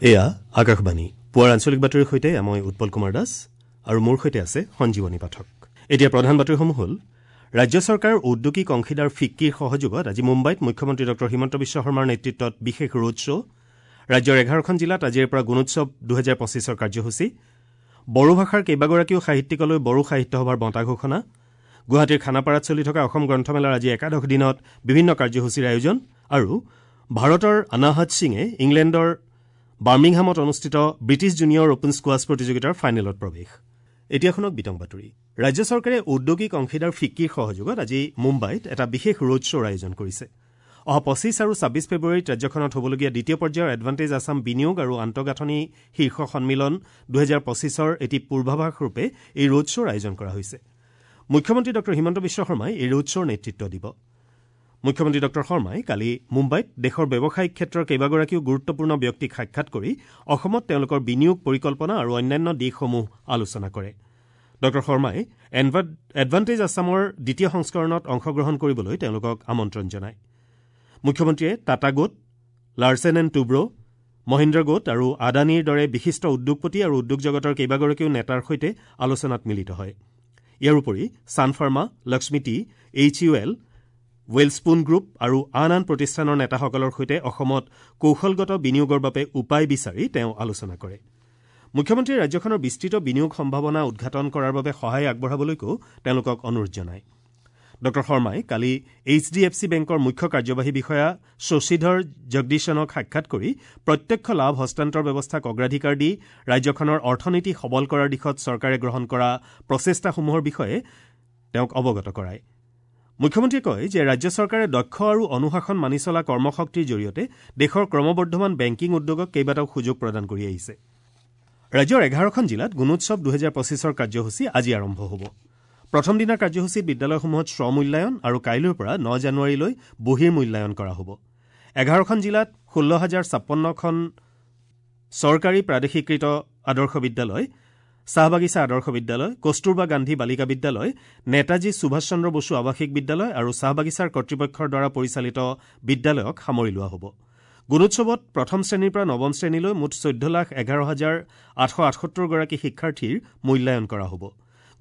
এয়া আকাশবাণী। পুৱাৰ আঞ্চলিক বাতৰিৰ সৈতে মই উৎপল কুমাৰ দাস আৰু মোৰ সৈতে আছে সঞ্জীৱনী পাঠক। এতিয়া প্ৰধান বাতৰিসমূহ হ'ল: ৰাজ্য চৰকাৰৰ ঔদ্যোগিক অংশীদাৰ ফিক্কিৰ সহযোগত আজি মুম্বাইত মুখ্যমন্ত্ৰী ডঃ হিমন্ত বিশ্ব শৰ্মাৰ নেতৃত্বত বিশেষ ৰোড শ্ব'। ৰাজ্যৰ 11খন জিলাত আজিৰে পৰা গুণোৎসৱ 2025ৰ কাৰ্যসূচী। বড়ো ভাষাৰ কেইবাগৰাকীও সাহিত্যিকলৈ বড়ো সাহিত্য সভাৰ বঁটা ঘোষণা। গুৱাহাটীৰ খানাপাৰাত চলি থকা অসম গ্ৰন্থমেলাৰ আজি একাদশ দিনত বিভিন্ন কাৰ্যসূচীৰ আয়োজন। আৰু ভাৰতৰ অনাহত সিঙে ইংলেণ্ডৰ বাৰ্মিংহামত অনুষ্ঠিত ব্ৰিটিছ জুনিয়ৰ অপেন স্কোৱাছ প্ৰতিযোগিতাৰ ফাইনেলত প্ৰৱেশ। এতিয়া শুনক বিতং বাতৰি। ৰাজ্য চৰকাৰে ঔদ্যোগিক অংশীদাৰ ফিক্কিৰ সহযোগত আজি মুম্বাইত এটা বিশেষ ৰোড শ্ব'ৰ আয়োজন কৰিছে। অহা 25 আৰু 26 ফেব্ৰুৱাৰীত ৰাজ্যখনত হ'বলগীয়া দ্বিতীয় পৰ্যায়ৰ এডভান্টেজ আছাম বিনিয়োগ আৰু আন্তঃগাঁথনি শীৰ্ষ সন্মিলন 2025ৰ এটি পূৰ্বাভাস ৰূপে এই ৰোড শ্ব'ৰ আয়োজন কৰা হৈছে। মুখ্যমন্ত্ৰী ডঃ হিমন্ত বিশ্ব শৰ্মাই এই ৰোড শ্ব'ৰ নেতৃত্ব দিব। মুখ্যমন্ত্ৰী ডঃ শৰ্মাই কালি মুম্বাইত দেশৰ ব্যৱসায়িক ক্ষেত্ৰৰ কেইবাগৰাকীও গুৰুত্বপূৰ্ণ ব্যক্তিক সাক্ষাৎ কৰি অসমত তেওঁলোকৰ বিনিয়োগ পৰিকল্পনা আৰু অন্যান্য দিশসমূহ আলোচনা কৰে। ডঃ শৰ্মাই এডভান্টেজ আছামৰ দ্বিতীয় সংস্কৰণত অংশগ্ৰহণ কৰিবলৈ তেওঁলোকক আমন্ত্ৰণ জনায়। মুখ্যমন্ত্ৰীয়ে টাটা গোট, লাৰ্চেন এণ্ড টুব্ৰ', মহিন্দ্ৰ গোট আৰু আদানীৰ দৰে বিশিষ্ট উদ্যোগপতি আৰু উদ্যোগ জগতৰ কেইবাগৰাকীও নেতাৰ সৈতে আলোচনাত মিলিত হয়। ইয়াৰ উপৰি Sun Pharma, Lakshmi tea, H U L, Welspun group আৰু আন আন প্ৰতিষ্ঠানৰ নেতাসকলৰ সৈতে অসমত কৌশলগত বিনিয়োগৰ বাবে উপায় বিচাৰি তেওঁ আলোচনা কৰে। মুখ্যমন্ত্ৰীয়ে ৰাজ্যখনৰ বিস্তৃত বিনিয়োগ সম্ভাৱনা উদ্ঘাটন কৰাৰ বাবে সহায় আগবঢ়াবলৈকো তেওঁলোকক অনুৰোধ জনায়। ডঃ শৰ্মাই কালি এইচ ডি এফ চি বেংকৰ মুখ্য কাৰ্যবাহী বিষয়া শশীধৰ জগদীশনক সাক্ষাৎ কৰি প্ৰত্যক্ষ লাভ হস্তান্তৰ ব্যৱস্থাক অগ্ৰাধিকাৰ দি ৰাজ্যখনৰ অৰ্থনীতি সবল কৰাৰ দিশত চৰকাৰে গ্ৰহণ কৰা প্ৰচেষ্টাসমূহৰ বিষয়ে তেওঁক অৱগত কৰায়। মুখ্যমন্ত্ৰীয়ে কয় যে ৰাজ্য চৰকাৰে দক্ষ আৰু অনুশাসন মানি চলা কৰ্মশক্তিৰ জৰিয়তে দেশৰ ক্ৰমবৰ্ধমান বেংকিং উদ্যোগক কেইবাটাও সুযোগ প্ৰদান কৰি আহিছে। ৰাজ্যৰ 11খন জিলাত গুণোৎসৱ 2025ৰ কাৰ্যসূচী আজি আৰম্ভ হ'ব। প্ৰথম দিনাৰ কাৰ্যসূচীত বিদ্যালয়সমূহত স্ব-মূল্যায়ন আৰু কাইলৈৰ পৰা 9 জানুৱাৰীলৈ বহিৰ মূল্যায়ন কৰা হ'ব। 11খন জিলাত 16,056খন চৰকাৰী প্ৰাদেশিকৃত আদৰ্শ বিদ্যালয়, চাহ বাগিচা আদৰ্শ বিদ্যালয়, কস্তুৰবা গান্ধী বালিকা বিদ্যালয়, নেতাজী সুভাষ চন্দ্ৰ বসু আৱাসিক বিদ্যালয় আৰু চাহ বাগিচাৰ কৰ্তৃপক্ষৰ দ্বাৰা পৰিচালিত বিদ্যালয়ক সামৰি লোৱা হ'ব। গুণোৎসৱত প্ৰথম শ্ৰেণীৰ পৰা নৱম শ্ৰেণীলৈ মুঠ 14,11,878 গৰাকী শিক্ষাৰ্থীৰ মূল্যায়ন কৰা হ'ব।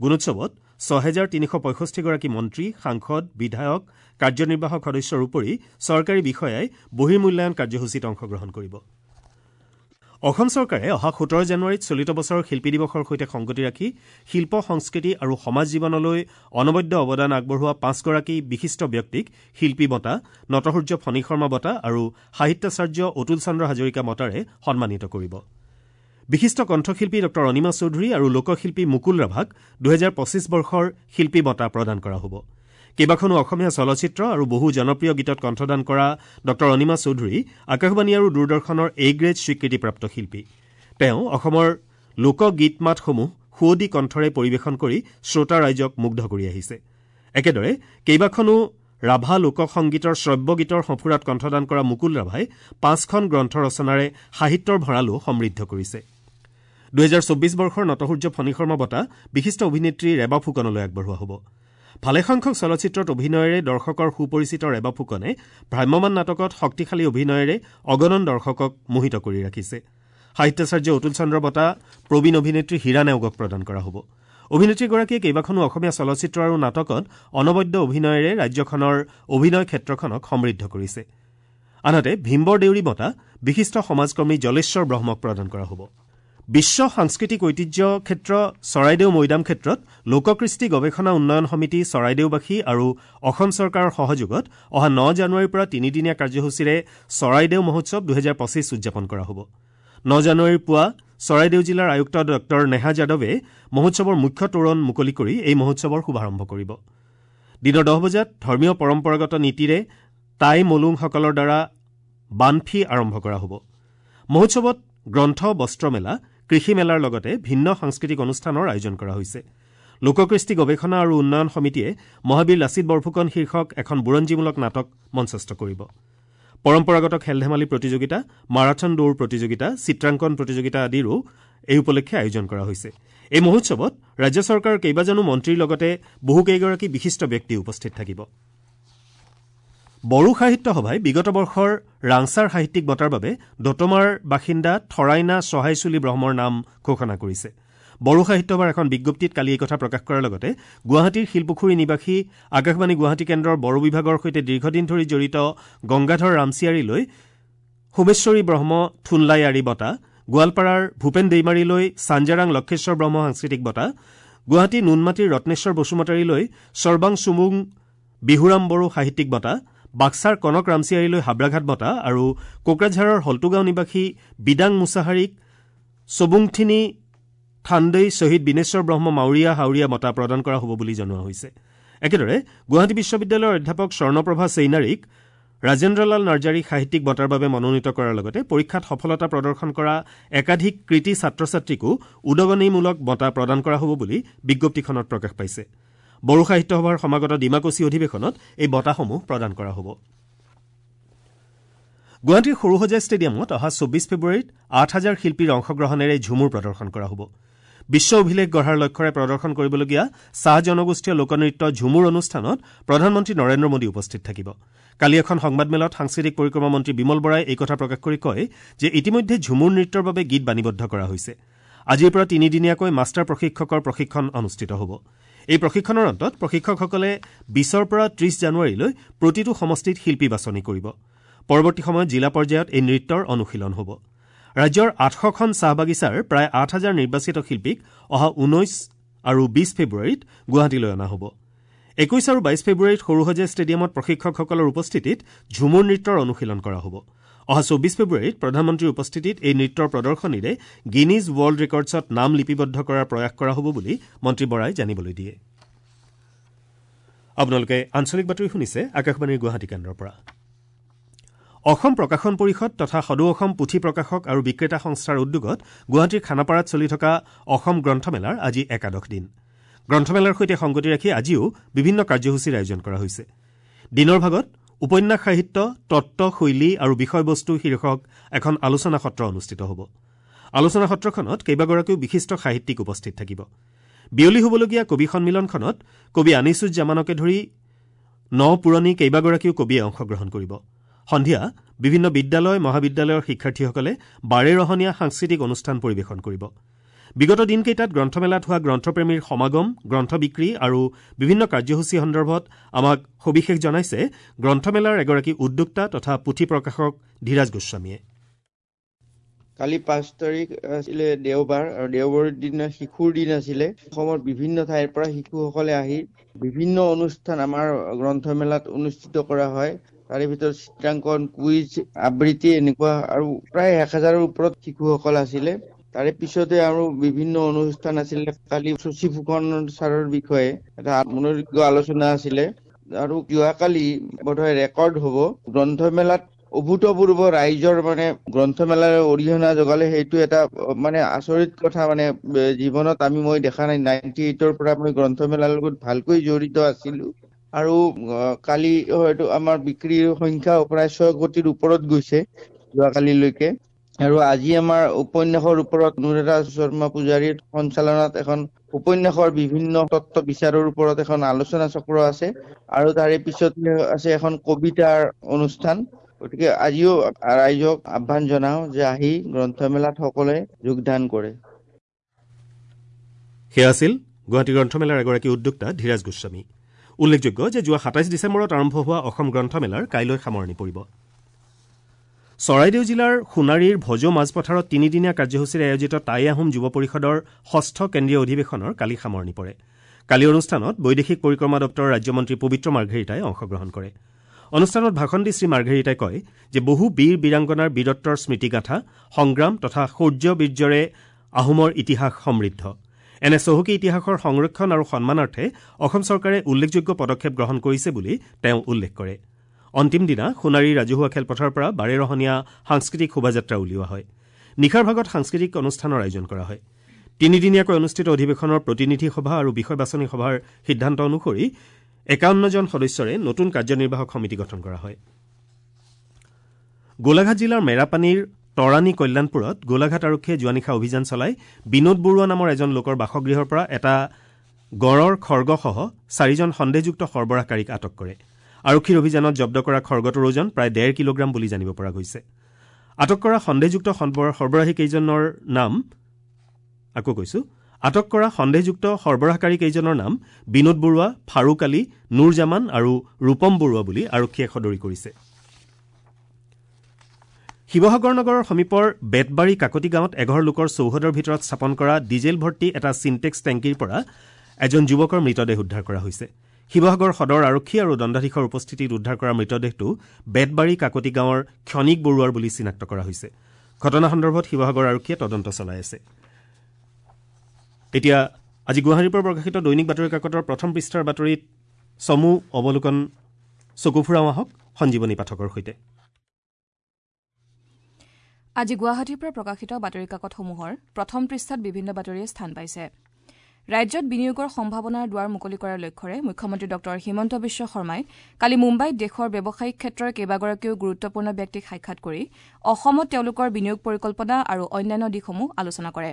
গুণোৎসৱত 6,365 গৰাকী মন্ত্ৰী, সাংসদ, বিধায়ক, কাৰ্যনিৰ্বাহক সদস্যৰ উপৰি চৰকাৰী বিষয়াই বহিৰ্মূল্যায়ন কাৰ্যসূচীত অংশগ্ৰহণ কৰিব। অসম চৰকাৰে অহা 17 জানুৱাৰীত চলিত বছৰৰ শিল্পী দিৱসৰ সৈতে সংগতি ৰাখি শিল্প, সংস্কৃতি আৰু সমাজ জীৱনলৈ অনবদ্য অৱদান আগবঢ়োৱা 5গৰাকী বিশিষ্ট ব্যক্তিক শিল্পী বঁটা, নটসূৰ্য ফণী শৰ্মা বঁটা আৰু সাহিত্যাচাৰ্য অতুল চন্দ্ৰ হাজৰিকা বঁটাৰে সন্মানিত কৰিব। বিশিষ্ট কণ্ঠশিল্পী ডঃ অনিমা চৌধুৰী আৰু লোকশিল্পী মুকুল ৰাভাক 2025 বৰ্ষৰ শিল্পী বঁটা প্ৰদান কৰা হ'ব। কেইবাখনো অসমীয়া চলচ্চিত্ৰ আৰু বহু জনপ্ৰিয় গীতত কণ্ঠদান কৰা ডঃ অনিমা চৌধুৰী আকাশবাণী আৰু দূৰদৰ্শনৰ এ গ্ৰেড স্বীকৃতিপ্ৰাপ্ত শিল্পী। তেওঁ অসমৰ লোকগীত মাতসমূহ সুৱদী কণ্ঠৰে পৰিৱেশন কৰি শ্ৰোতা ৰাইজক মুগ্ধ কৰি আহিছে। একেদৰে কেইবাখনো ৰাভা লোকসংগীতৰ শ্ৰব্য গীতৰ সঁফুৰাত কণ্ঠদান কৰা মুকুল ৰাভাই 5খন গ্ৰন্থ ৰচনাৰে সাহিত্যৰ ভঁৰালো সমৃদ্ধ কৰিছে। 2024 বৰ্ষৰ নটসূৰ্য ফণী শৰ্মা বঁটা বিশিষ্ট অভিনেত্ৰী ৰেবা ফুকনলৈ আগবঢ়োৱা হ'ব। ভালেসংখ্যক চলচ্চিত্ৰত অভিনয়েৰে দৰ্শকৰ সুপৰিচিত ৰেবা ফুকনে ভ্ৰাম্যমাণ নাটকত শক্তিশালী অভিনয়েৰে অগণন দৰ্শকক মোহিত কৰি ৰাখিছে। সাহিত্যাচাৰ্য অতুল চন্দ্ৰ বঁটা প্ৰবীণ অভিনেত্ৰী হীৰা নেওগক প্ৰদান কৰা হ'ব। অভিনেত্ৰীগৰাকীয়ে কেইবাখনো অসমীয়া চলচ্চিত্ৰ আৰু নাটকত অনবদ্য অভিনয়েৰে ৰাজ্যখনৰ অভিনয় ক্ষেত্ৰখনক সমৃদ্ধ কৰিছে। আনহাতে ভীমবৰ দেউৰী বঁটা বিশিষ্ট সমাজকৰ্মী জলেশ্বৰ ব্ৰহ্মক প্ৰদান কৰা হ'ব। বিশ্ব সাংস্কৃতিক ঐতিহ্য ক্ষেত্ৰ চৰাইদেউ মৈদাম ক্ষেত্ৰত লোককৃষ্টি গৱেষণা উন্নয়ন সমিতি চৰাইদেউবাসী আৰু অসম চৰকাৰৰ সহযোগত অহা 9 জানুৱাৰীৰ পৰা তিনিদিনীয়া কাৰ্যসূচীৰে চৰাইদেউ মহোৎসৱ 2025 উদযাপন কৰা হ'ব। 9 জানুৱাৰীৰ পুৱা চৰাইদেউ জিলাৰ আয়ুক্ত ডঃ নেহা যাদৱে মহোৎসৱৰ মুখ্য তোৰণ মুকলি কৰি এই মহোৎসৱৰ শুভাৰম্ভ কৰিব। দিনৰ 10 বজাত ধৰ্মীয় পৰম্পৰাগত নীতিৰে টাই মলুংসকলৰ দ্বাৰা বানফি আৰম্ভ কৰা হ'ব। মহোৎসৱত গ্ৰন্থ, বস্ত্ৰমেলা, কৃষি মেলাৰ লগতে ভিন্ন সাংস্কৃতিক অনুষ্ঠানৰ আয়োজন কৰা হৈছে। লোককৃষ্টি গৱেষণা আৰু উন্নয়ন সমিতিয়ে মহাবীৰ লাচিত বৰফুকন শীৰ্ষক এখন বুৰঞ্জীমূলক নাটক মঞ্চস্থ কৰিব। পৰম্পৰাগত খেল ধেমালি প্ৰতিযোগিতা, মাৰাথন দৌৰ প্ৰতিযোগিতা, চিত্ৰাংকন প্ৰতিযোগিতা আদিৰো এই উপলক্ষে আয়োজন কৰা হৈছে। এই মহোৎসৱত ৰাজ্য চৰকাৰৰ কেইবাজনো মন্ত্ৰীৰ লগতে বহুকেইগৰাকী বিশিষ্ট ব্যক্তি উপস্থিত থাকিব। বড়ো সাহিত্য সভাই বিগত বৰ্ষৰ ৰাংচাৰ সাহিত্যিক বঁটাৰ বাবে দতমাৰ বাসিন্দা থৰাইনা সহায়চুলি ব্ৰহ্মৰ নাম ঘোষণা কৰিছে। বড়ো সাহিত্য সভাৰ এখন বিজ্ঞপ্তিত কালি এই কথা প্ৰকাশ কৰাৰ লগতে গুৱাহাটীৰ শিলপুখুৰী নিবাসী আকাশবাণী গুৱাহাটী কেন্দ্ৰৰ বড়ো বিভাগৰ সৈতে দীৰ্ঘদিন ধৰি জড়িত গংগাধৰ ৰামচিয়াৰীলৈ সোমেশ্বৰী ব্ৰহ্ম থুনলাইয়াৰী বঁটা, গোৱালপাৰাৰ ভূপেন দেইমাৰীলৈ চাঞ্জাৰাং লক্ষেশ্বৰ ব্ৰহ্ম সাংস্কৃতিক বঁটা, গুৱাহাটী নুনমাটিৰ ৰত্নেশ্বৰ বসুমতাৰীলৈ সৰ্বাং চুমুং বিহুৰাম বড়ো সাহিত্যিক বঁটা, বাক্সাৰ কনক ৰামচিয়াৰীলৈ হাবৰাঘাট বঁটা আৰু কোকৰাঝাৰৰ হল্টুগাঁও নিবাসী বিদাং মুছাহাৰীক চবুংথিনী থাণ্ডৈ শ্বহীদ বিনেশ্বৰ ব্ৰহ্ম মাউৰীয়া হাউৰীয়া বঁটা প্ৰদান কৰা হ'ব বুলি জনোৱা হৈছে। একেদৰে গুৱাহাটী বিশ্ববিদ্যালয়ৰ অধ্যাপক স্বৰ্ণপ্ৰভা চেইনাৰীক ৰাজেন্দ্ৰলাল নাৰ্জাৰী সাহিত্যিক বঁটাৰ বাবে মনোনীত কৰাৰ লগতে পৰীক্ষাত সফলতা প্ৰদৰ্শন কৰা একাধিক কৃতী ছাত্ৰ ছাত্ৰীকো উদগনিমূলক বঁটা প্ৰদান কৰা হ'ব বুলি বিজ্ঞপ্তিখনত প্ৰকাশ পাইছে। বড়ো সাহিত্য সভাৰ সমাগত ডিমাকুচি অধিৱেশনত এই বঁটাসমূহ প্ৰদান কৰা হ'ব। গুৱাহাটীৰ সৰুসজাই ষ্টেডিয়ামত অহা ২৪ ফেব্ৰুৱাৰীত ৮,০০০ শিল্পীৰ অংশগ্ৰহণেৰে ঝুমুৰ প্ৰদৰ্শন কৰা হ'ব। বিশ্ব অভিলেখ গঢ়াৰ লক্ষ্যৰে প্ৰদৰ্শন কৰিবলগীয়া চাহ জনগোষ্ঠীয় লোকনৃত্য ঝুমুৰ অনুষ্ঠানত প্ৰধানমন্ত্ৰী নৰেন্দ্ৰ মোদী উপস্থিত থাকিব। কালি এখন সংবাদমেলত সাংস্কৃতিক পৰিক্ৰমা মন্ত্ৰী বিমল বৰাই এই কথা প্ৰকাশ কৰি কয় যে ইতিমধ্যে ঝুমুৰ নৃত্যৰ বাবে গীত বাণীবদ্ধ কৰা হৈছে। আজিৰ পৰা তিনিদিনীয়াকৈ মাষ্টাৰ প্ৰশিক্ষকৰ প্ৰশিক্ষণ অনুষ্ঠিত হ'ব। এই প্ৰশিক্ষণৰ অন্তত প্ৰশিক্ষকসকলে ২০ৰ পৰা ৩০ জানুৱাৰীলৈ প্ৰতিটো সমষ্টিত শিল্পী বাছনি কৰিব। পৰৱৰ্তী সময়ত জিলা পৰ্যায়ত এই নৃত্যৰ অনুশীলন হ'ব। ৰাজ্যৰ ৮০০খন চাহ বাগিচাৰ প্ৰায় ৮,০০০ নিৰ্বাচিত শিল্পীক অহা ১৯ আৰু ২০ ফেব্ৰুৱাৰীত গুৱাহাটীলৈ অনা হ'ব। ২১ আৰু ২২ ফেব্ৰুৱাৰীত সৰুসজাই ষ্টেডিয়ামত প্ৰশিক্ষকসকলৰ উপস্থিতিত ঝুমুৰ নৃত্যৰ অনুশীলন কৰা হ'ব। অহা ২৪ ফেব্ৰুৱাৰীত প্ৰধানমন্ত্ৰীৰ উপস্থিতিত এই নৃত্যৰ প্ৰদৰ্শনীৰে গিনিজ ৱৰ্ল্ড ৰেকৰ্ডছত নাম লিপিবদ্ধ কৰাৰ প্ৰয়াস কৰা হ'ব বুলি মন্ত্ৰী বৰাই জানিবলৈ দিয়ে। আপোনালোকে আঞ্চলিক বাতৰি শুনিছে আকাশবাণীৰ গুৱাহাটী কেন্দ্ৰৰ পৰা। অসম প্ৰকাশন পৰিষদ তথা সদৌ অসম পুথি প্ৰকাশক আৰু বিক্ৰেতা সংস্থাৰ উদ্যোগত গুৱাহাটীৰ খানাপাৰাত চলি থকা অসম গ্ৰন্থমেলাৰ আজি একাদশ দিন। গ্ৰন্থমেলাৰ সৈতে সংগতি ৰাখি আজিও বিভিন্ন কাৰ্যসূচীৰ আয়োজন কৰা হৈছে। দিনৰ ভাগত উপন্যাস সাহিত্য, তত্ত্ব, শৈলী আৰু বিষয়বস্তু শীৰ্ষক এখন আলোচনা সত্ৰ অনুষ্ঠিত হ'ব। আলোচনা সত্ৰখনত কেইবাগৰাকীও বিশিষ্ট সাহিত্যিক উপস্থিত থাকিব। বিয়লি হ'বলগীয়া কবি সন্মিলনখনত কবি আনিছুজ্জামানকে ধৰি ন পুৰণি কেইবাগৰাকীও কবিয়ে অংশগ্ৰহণ কৰিব। সন্ধিয়া বিভিন্ন বিদ্যালয়, মহাবিদ্যালয়ৰ শিক্ষাৰ্থীসকলে বাৰেৰহণীয়া সাংস্কৃতিক অনুষ্ঠান পৰিৱেশন কৰিব। বিগত দিনকেইটাত গ্ৰন্থমেলাত হোৱা গ্ৰন্থপ্ৰেমীৰ সমাগম, গ্ৰন্থ বিক্ৰী আৰু বিভিন্ন কাৰ্যসূচী সন্দৰ্ভত আমাক সবিশেষ জনাইছে গ্ৰন্থমেলাৰ এগৰাকী উদ্যোক্তা তথা পুথি প্ৰকাশক ধীৰাজ গোস্বামীয়ে। কালি ৫ তাৰিখ আছিলে দেওবাৰ, আৰু দেওবাৰৰ দিনা শিশুৰ দিন আছিলে। অসমৰ বিভিন্ন ঠাইৰ পৰা শিশুসকলে আহি বিভিন্ন অনুষ্ঠান আমাৰ গ্ৰন্থমেলাত অনুষ্ঠিত কৰা হয়। তাৰে ভিতৰত চিত্ৰাংকন, কুইজ, আবৃত্তি এনেকুৱা আৰু প্ৰায় ১০০০ৰ ওপৰত শিশুসকল আছিলে। তাৰে পিছতে আৰু বিভিন্ন অনুষ্ঠান আছিলে। কালি শশী ফুকন ছাৰৰ বিষয়ে এটা মনোজ্ঞ আলোচনা আছিলে। আৰু যোৱাকালি বোধহয় ৰেকৰ্ড হ'ব গ্ৰন্থমেলাত অভূতপূৰ্ব ৰাইজৰ মানে গ্ৰন্থমেলাৰ অৰিহণা যোগালে। সেইটো এটা মানে আচৰিত কথা, মানে জীৱনত মই দেখা নাই। 98ৰ পৰা মই গ্ৰন্থমেলাৰ লগত ভালকৈ জড়িত আছিলো। আৰু কালি হয়তো আমাৰ বিক্ৰীৰ সংখ্যা প্ৰায় ৬ কোটিৰ ওপৰত গৈছে যোৱাকালিলৈকে। আৰু আজি আমাৰ উপন্যাসৰ ওপৰত অনুৰাধা শৰ্মা পূজাৰীৰ সঞ্চালনাত এখন উপন্যাসৰ বিভিন্ন তত্ত্ব বিচাৰৰ ওপৰত এখন আলোচনা চক্ৰ আছে। আৰু তাৰে পিছত আছে এখন কবিতাৰ অনুষ্ঠান। গতিকে আজিও ৰাইজক আহ্বান জনাওঁ যে আহি গ্ৰন্থমেলাত সকলোৱে যোগদান কৰে। সেয়া আছিল গুৱাহাটী গ্ৰন্থমেলাৰ এগৰাকী উদ্যোক্তা ধীৰাজ গোস্বামী। উল্লেখযোগ্য যে যোৱা ২৭ ডিচেম্বৰত আৰম্ভ হোৱা অসম গ্ৰন্থমেলাৰ কাইলৈ সামৰণি পৰিব। চৰাইদেউ জিলাৰ সোণাৰীৰ ভজো মাজপথাৰত তিনিদিনীয়া কাৰ্যসূচীৰে আয়োজিত টাই আহোম যুৱ পৰিষদৰ ষষ্ঠ কেন্দ্ৰীয় অধিৱেশনৰ কালি সামৰণি পৰে। কালি অনুষ্ঠানত বৈদেশিক পৰিক্ৰমা দপ্তৰৰ ৰাজ্যমন্ত্ৰী পবিত্ৰ মাৰ্ঘেৰিটাই অংশগ্ৰহণ কৰে। অনুষ্ঠানত ভাষণ দি শ্ৰীমাৰ্ঘেৰিটাই কয় যে বহু বীৰ বীৰাংগনাৰ বীৰত্বৰ স্মৃতিগাঁথা, সংগ্ৰাম তথা শৌৰ্য বীৰ্যৰে আহোমৰ ইতিহাস সমৃদ্ধ। এনে চহকী ইতিহাসৰ সংৰক্ষণ আৰু সন্মানাৰ্থে অসম চৰকাৰে উল্লেখযোগ্য পদক্ষেপ গ্ৰহণ কৰিছে বুলি তেওঁ উল্লেখ কৰে। অন্তিম দিনা সোণাৰী ৰাজহুৱা খেলপথাৰৰ পৰা বাৰেৰহণীয়া সাংস্কৃতিক শোভাযাত্ৰা উলিওৱা হয়। নিশাৰ ভাগত সাংস্কৃতিক অনুষ্ঠানৰ আয়োজন কৰা হয়। তিনিদিনীয়াকৈ অনুষ্ঠিত অধিৱেশনৰ প্ৰতিনিধি সভা আৰু বিষয় বাছনি সভাৰ সিদ্ধান্ত অনুসৰি ৫১জন সদস্যৰে নতুন কাৰ্যনিৰ্বাহক সমিতি গঠন কৰা হয়। গোলাঘাট জিলাৰ মেৰাপানীৰ তৰাণী কল্যাণপুৰত গোলাঘাট আৰক্ষীয়ে যোৱা নিশা অভিযান চলাই বিনোদ বৰুৱা নামৰ এজন লোকৰ বাসগৃহৰ পৰা এটা গঁড়ৰ খৰ্গসহ ৪জন সন্দেহযুক্ত সৰবৰাহকাৰীক আটক কৰে। আৰক্ষীৰ অভিযানত জব্দ কৰা খৰ্গটোৰ ওজন প্ৰায় ১.৫ কিলোগ্ৰাম বুলি জানিব পৰা গৈছে। আটক কৰা সন্দেহযুক্ত সৰবৰাহীকেইজনৰ নাম আকৌ কৈছো আটক কৰা সন্দেহযুক্ত সৰবৰাহকাৰীকেইজনৰ নাম বিনোদ বৰুৱা, ফাৰুক আলী, নুৰজামান আৰু ৰূপম বৰুৱা বুলি আৰক্ষীয়ে সদৰি কৰিছে। শিৱসাগৰ নগৰৰ সমীপৰ বেতবাৰী কাকতি গাঁৱত এঘৰ লোকৰ চৌহদৰ ভিতৰত স্থাপন কৰা ডিজেল ভৰ্তি এটা চিনটেক্স টেংকীৰ পৰা এজন যুৱকৰ মৃতদেহ উদ্ধাৰ কৰা হৈছে। শিৱসাগৰ সদৰ আৰক্ষী আৰু দণ্ডাধীশৰ উপস্থিতিত উদ্ধাৰ কৰা মৃতদেহটো বেতবাৰী কাকতি গাঁৱৰ ক্ষণিক বৰুৱাৰ বুলি চিনাক্ত কৰা হৈছে। ঘটনা সন্দৰ্ভত শিৱসাগৰ আৰক্ষীয়ে তদন্ত চলাই আছে। এতিয়া আজি গুৱাহাটীৰ পৰা প্ৰকাশিত দৈনিক বাতৰি কাকতৰ প্ৰথম পৃষ্ঠাৰ বাতৰিত চমু অৱলোকন চকু ফুৰাওঁ আহক সঞ্জীৱনী পাঠকৰ সৈতে। আজি গুৱাহাটীৰ পৰা প্ৰকাশিত বাতৰি কাকতসমূহৰ প্ৰথম পৃষ্ঠাত বিভিন্ন বাতৰিয়ে স্থান পাইছে। ৰাজ্যত বিনিয়োগৰ সম্ভাৱনাৰ দুৱাৰ মুকলি কৰাৰ লক্ষ্যৰে মুখ্যমন্ত্ৰী ডঃ হিমন্ত বিশ্ব শৰ্মাই কালি মুম্বাইত দেশৰ ব্যৱসায়িক ক্ষেত্ৰৰ কেইবাগৰাকীও গুৰুত্বপূৰ্ণ ব্যক্তিক সাক্ষাৎ কৰি অসমত তেওঁলোকৰ বিনিয়োগ পৰিকল্পনা আৰু অন্যান্য দিশসমূহ আলোচনা কৰে।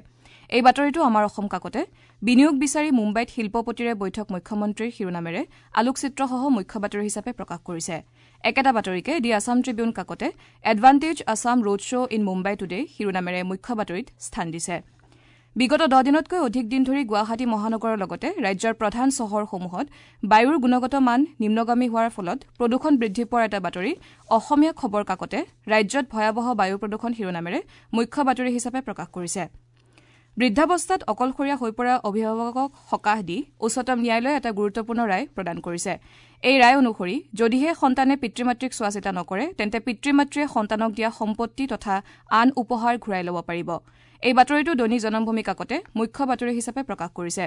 এই বাতৰিটো আমাৰ অসম কাকতে বিনিয়োগ বিচাৰি মুম্বাইত শিল্পপতিৰে বৈঠক মুখ্যমন্ত্ৰীৰ শিৰোনামেৰে আলোকচিত্ৰসহ মুখ্য বাতৰি হিচাপে প্ৰকাশ কৰিছে। একেটা বাতৰিকে দি আছাম ট্ৰিবিউন কাকতে advantage Assam road show in Mumbai today শিৰোনামেৰে মুখ্য বাতৰিত স্থান দিছে। বিগত ১০ দিনতকৈ অধিক দিন ধৰি গুৱাহাটী মহানগৰৰ লগতে ৰাজ্যৰ প্ৰধান চহৰসমূহত বায়ুৰ গুণগত মান নিম্নগামী হোৱাৰ ফলত প্ৰদূষণ বৃদ্ধি পোৱাৰ এটা বাতৰি অসমীয়া খবৰ কাকতে ৰাজ্যত ভয়াৱহ বায়ু প্ৰদূষণ শিৰোনামেৰে মুখ্য বাতৰি হিচাপে প্ৰকাশ কৰিছে। বৃদ্ধাৱস্থাত অকলশৰীয়া হৈ পৰা অভিভাৱকক সকাহ দি উচ্চতম ন্যায়ালয়ে এটা গুৰুত্বপূৰ্ণ ৰায় প্ৰদান কৰিছে। এই ৰায় অনুসৰি যদিহে সন্তানে পিতৃ মাতৃক চোৱাচিতা নকৰে তেন্তে পিতৃ মাতৃয়ে সন্তানক দিয়া সম্পত্তি তথা আন উপহাৰ ঘূৰাই ল'ব পাৰিব। এই বাতৰিটো দৈনিক জনমভূমি কাকতে মুখ্য বাতৰি হিচাপে প্ৰকাশ কৰিছে।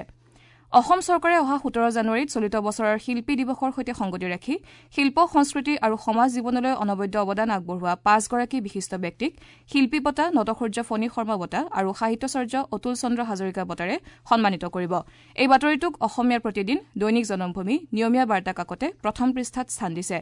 অসম চৰকাৰে অহা ১৭ জানুৱাৰীত চলিত বছৰৰ শিল্পী দিৱসৰ সৈতে সংগতি ৰাখি শিল্প, সংস্কৃতি আৰু সমাজ জীৱনলৈ অনবদ্য অৱদান আগবঢ়োৱা ৫গৰাকী বিশিষ্ট ব্যক্তিক শিল্পী বঁটা, নটসূৰ্য ফণী শৰ্মা বঁটা আৰু সাহিত্যাচাৰ্য অতুল চন্দ্ৰ হাজৰিকা বঁটাৰে সন্মানিত কৰিব। এই বাতৰিটোক অসমীয়াৰ প্ৰতিদিন, দৈনিক জনমভূমি, নিয়মীয়া বাৰ্তা কাকতে প্ৰথম পৃষ্ঠাত স্থান দিছে।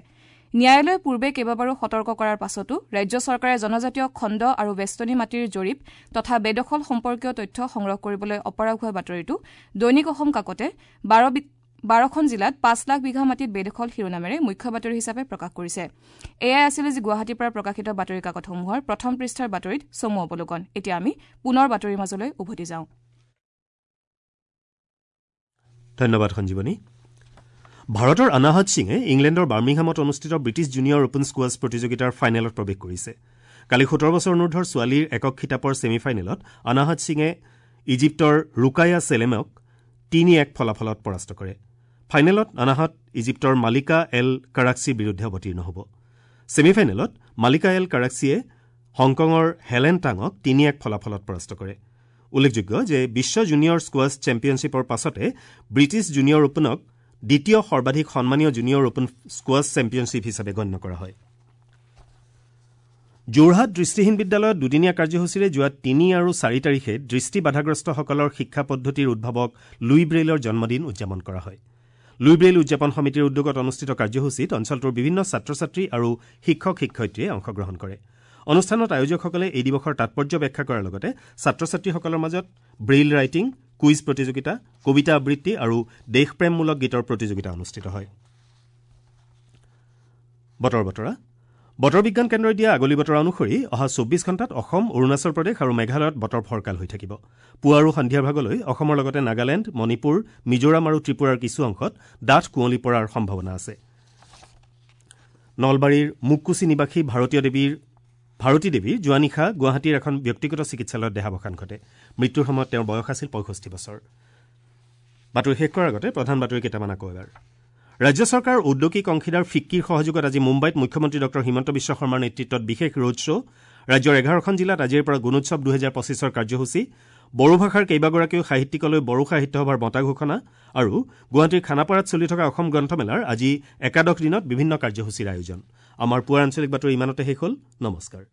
ন্যায়ালয়ে পূৰ্বে কেইবাবাৰো সতৰ্ক কৰাৰ পাছতো ৰাজ্য চৰকাৰে জনজাতীয় খণ্ড আৰু বেষ্টনী মাটিৰ জৰীপ তথা বেদখল সম্পৰ্কীয় তথ্য সংগ্ৰহ কৰিবলৈ অপাৰগ হোৱা বাতৰিটো দৈনিক অসম কাকতে ১২খন জিলাত ৫ লাখ বিঘা মাটিত বেদখল শিৰোনামেৰে মুখ্য বাতৰি হিচাপে প্ৰকাশ কৰিছে। এয়াই আছিল আজি গুৱাহাটীৰ পৰা প্ৰকাশিত বাতৰি কাকতসমূহৰ প্ৰথম পৃষ্ঠাৰ বাতৰিত চমু অৱলোকন। এতিয়া আমি পুনৰ বাতৰিৰ মাজলৈ উভতি যাওঁ। ধন্যবাদ সঞ্জীৱনী। ভাৰতৰ আনাহত সিঙে ইংলেণ্ডৰ বাৰ্মিংহামত অনুষ্ঠিত ব্ৰিটিছ জুনিয়ৰ অপেন স্কোৱাছ প্ৰতিযোগিতাৰ ফাইনেলত প্ৰৱেশ কৰিছে। কালি ১৭ বছৰ অনুৰ্ধৰ ছোৱালীৰ একক খিতাপৰ ছেমি ফাইনেলত আনাহত সিঙে ইজিপ্তৰ ৰুকায়া চেলেমক ৩-১ ফলাফলত পৰাস্ত কৰে। ফাইনেলত আনাহত ইজিপ্তৰ মালিকা এল কাৰাক্সিৰ বিৰুদ্ধে অৱতীৰ্ণ হ'ব। ছেমি ফাইনেলত মালিকা এল কাৰাক্সিয়ে হংকঙৰ হেলেন টাঙক ৩-১ ফলাফলত পৰাস্ত কৰে। উল্লেখযোগ্য যে বিশ্ব জুনিয়ৰ স্কোৱাছ চেম্পিয়নশ্বিপৰ পাছতে ব্ৰিটিছ জুনিয়ৰ অপেনক দ্বিতীয় সৰ্বাধিক সন্মানীয় জুনিয়ৰ অপেন স্কোৱাছ চেম্পিয়নশ্বিপ হিচাপে গণ্য কৰা হয়। যোৰহাট দৃষ্টিহীন বিদ্যালয়ত দুদিনীয়া কাৰ্যসূচীৰে যোৱা ৩ আৰু ৪ তাৰিখে দৃষ্টি বাধাগ্ৰস্তসকলৰ শিক্ষা পদ্ধতিৰ উদ্ভাৱক লুই ব্ৰেইলৰ জন্মদিন উদযাপন কৰা হয়। লুই ব্ৰেইল উদযাপন সমিতিৰ উদ্যোগত অনুষ্ঠিত কাৰ্যসূচীত অঞ্চলটোৰ বিভিন্ন ছাত্ৰ ছাত্ৰী আৰু শিক্ষক শিক্ষয়িত্ৰীয়ে অংশগ্ৰহণ কৰে। অনুষ্ঠানত আয়োজকসকলে এই দিৱসৰ তাৎপৰ্য ব্যাখ্যা কৰাৰ লগতে ছাত্ৰ ছাত্ৰীসকলৰ মাজত ব্ৰেইল ৰাইটিং, কুইজ প্ৰতিযোগিতা, কবিতা আবৃত্তি আৰু দেশপ্ৰেমমূলক গীতৰ প্ৰতিযোগিতা অনুষ্ঠিত হয়। বতৰ বতৰা। বতৰ বিজ্ঞান কেন্দ্ৰই দিয়া আগলি বতৰা অনুসৰি অহা ২৪ ঘণ্টাত অসম, অৰুণাচল প্ৰদেশ আৰু মেঘালয়ত বতৰ ফৰকাল হৈ থাকিব। পুৱা আৰু সন্ধিয়াৰ ভাগলৈ অসমৰ লগতে নাগালেণ্ড, মণিপুৰ, মিজোৰাম আৰু ত্ৰিপুৰাৰ কিছু অংশত ডাঠ কুঁৱলী পৰাৰ সম্ভাৱনা আছে। নলবাৰীৰ মুককুচি নিবাসী ভাৰতী দেৱীৰ যোৱা নিশা গুৱাহাটীৰ এখন ব্যক্তিগত চিকিৎসালয়ত দেহাৱসান ঘটে। মৃত্যুৰ সময়ত তেওঁৰ বয়স আছিল ৬৫ বছৰ। বাতৰি শেষ কৰাৰ আগতে প্ৰধান বাতৰি কেইটামান আকৌ এবাৰ। ৰাজ্য চৰকাৰৰ ঔদ্যোগিক অংশীদাৰ ফিক্কিৰ সহযোগত আজি মুম্বাইত মুখ্যমন্ত্ৰী ডঃ হিমন্ত বিশ্ব শৰ্মাৰ নেতৃত্বত বিশেষ ৰোড শ্ব'। ৰাজ্যৰ ১১খন জিলাত আজিৰ পৰা গুণোৎসৱ ২০২৫ৰ কাৰ্যসূচী। বড়ো ভাষাৰ কেইবাগৰাকীও সাহিত্যিকলৈ বড়ো সাহিত্য সভাৰ বঁটা ঘোষণা আৰু গুৱাহাটীৰ খানাপাৰাত চলি থকা অসম গ্ৰন্থমেলাৰ আজি একাদশ দিনত বিভিন্ন কাৰ্যসূচীৰ আয়োজন। আমাৰ পুৱাৰ আঞ্চলিক বাতৰি ইমানতে শেষ হ'ল। নমস্কাৰ।